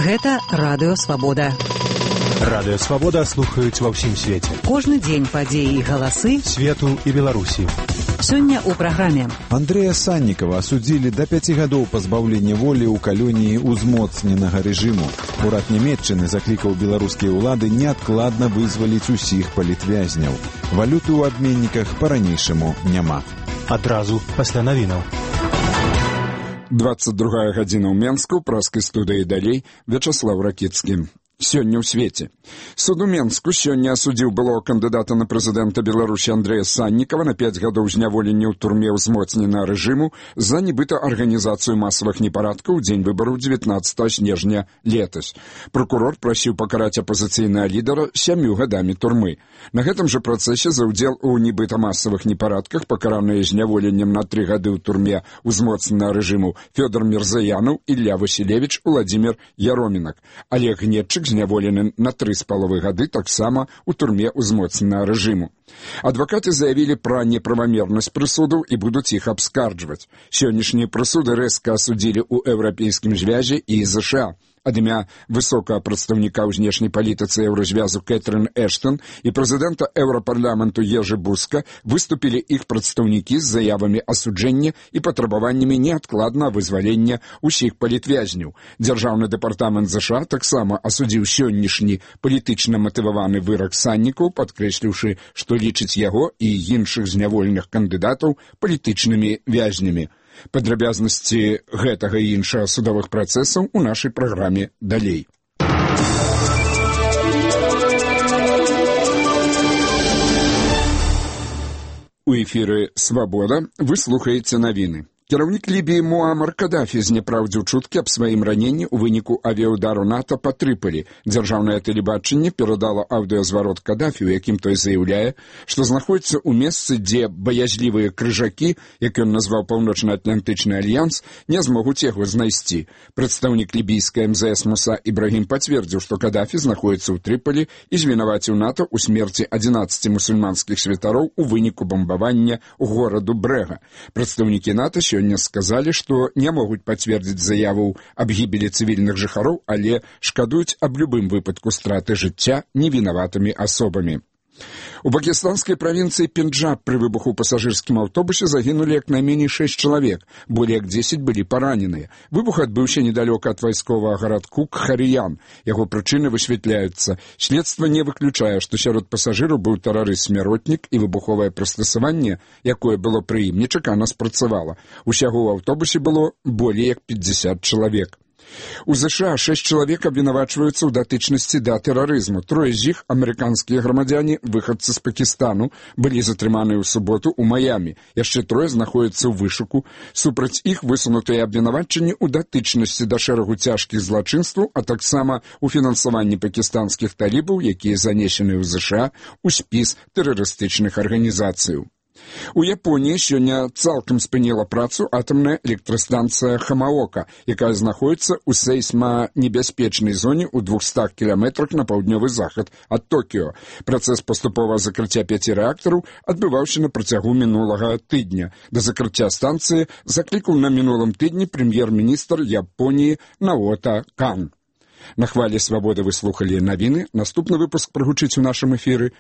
Гэта Радыё Свабода. Радыё Свабода слухаюць ва ўсім свеце. Кожны дзень падзеі і галасы свету і Беларусі. Сёння ў праграме. Андрэя Саннікава асудзілі да 5 гадоў пазбаўлення волі ў калоніі узмоцненага рэжыму. Урад Нямецчыны заклікаў беларускія ўлады неадкладна вызваліць усіх палітвязняў. Валюты ў абменніках па-ранейшаму няма. Адразу пасля навінаў. 22 гадзіна ў Менску, праскай студыі далей, Вячаслав Ракіцкі. Сёння ў свеце. Суд у Менску сёння асудзіў былого кандыдата на прэзідэнта Беларусі Андрэя Саннікава на 5 гадоў зняволення ў турме ўзмоцненага рэжыму за нібыта арганізацыю масавых непарадкаў у дзень выбараў 19 снежня летась. Прокурор прасіў пакараць апазіцыйнага лідара 7 гадамі турмы. На гэтым жа працэсе за ўдзел у нібыта масавых непарадках пакараныя зняволеннем на 3 гады ў турме ўзмоцненага рэжыму Фёдор Мірзаянаў, Ілля Васілевіч, Уладзімір Яромінак. Олег Гнетчык зняволены на 3,5 гады таксама ў турме ўзмоцненага рэжыму. Адвакаты заявілі пра неправамернасць прысудаў і будуць іх абскарджваць. Сённяшнія прысуды рэзка асудзілі ў Еўрапейскім звязе і ЗША. Ад імя высокага прадстаўніка ў знешняй палітыцы еўразвязу Кэтрын Эштон і прэзідэнта Еўрапарламенту Ежы Буска выступілі іх прадстаўнікі з заявамі асуджэння і патрабаваннямі неадкладнага вызвалення ўсіх палітвязняў. Дзяржаўны дэпартамент ЗША таксама асудзіў сённяшні палітычна матываваны вырак Саннікаў, падкрэсліўшы, што лічыць яго і іншых зняволеных кандыдатаў палітычнымі вязнямі. Падрабязнасці гэтага і іншага судовых працэсаў у нашай праграме далей. У эфіры «Свабода» вы слухаеце навіны. Кіраўнік Лібіі Муамар Кадафі зняпраўдзіў чуткі аб сваім раненні ў выніку авіяўдару НАТО па Трыполі. Дзяржаўнае тэлебачанне перадала аўдыёзварот Кадафі, у якім той заяўляе, што знаходзіцца ў месцы, дзе баязлівыя крыжакі, як ён назваў Паўночна-Атлантычны альянс, не змогуць яго знайсці. Прадстаўнік лібійскай МЗС Муса Ібрагім пацвердзіў, што Кадафі знаходзіцца ў Трыполі і звінаваціў НАТО ў смерці 11 мусульманскіх святароў у выніку бамбавання гораду Брэга. Прадстаўнікі НАТО сёння сказалі, што не могуць пацвердзіць заяву аб гібелі цывільных жыхароў, але шкадуюць аб любым выпадку страты жыцця невінаватымі асобамі. У пакістанскай правінцыі Пенджаб пры выбуху ў пасажырскім аўтобусе загінулі як найменей 6 чалавек, болей як 10 былі параненыя. Выбух адбыўся недалёка ад вайсковага гарадку Кхарыян. Яго прычыны высвятляюцца. Следства не выключае, што сярод пасажыраў быў тэрарыст-смяротнік і выбуховае прыстасаванне, якое было пры ім, нечакана спрацавала. Усяго ў аўтобусе было болей як 50 чалавек. У ЗША 6 чалавек абвінавачваюцца ў датычнасці да тэрарызму. 3 з іх, амерыканскія грамадзяне, выхадцы з Пакістану, былі затрыманыя ў суботу ў Маямі. Яшчэ 3 знаходзяцца ў вышуку. Супраць іх высунутыя абвінавачанні ў датычнасці да шэрагу цяжкіх злачынстваў, а таксама ў фінансаванні пакістанскіх талібаў, якія занесены ў ЗША ў спіс тэрарыстычных арганізацыяў. У Японіі сёння цалкам спыніла працу атамная электрастанцыя Хамаока, якая знаходзіцца ў сейсманебяспечнай зоне ў 200 кіламетрах на паўднёвы захад ад Токіё. Працэс паступовага закрыцця 5 рэактараў адбываўся на працягу мінулага тыдня. Да закрыцця станцыі заклікаў на мінулым тыдні прэм'ер-міністр Японіі Наота Кан. На хвалі «Свабоды» вы слухалі навіны. Наступны выпуск прагучыць у нашым эфіры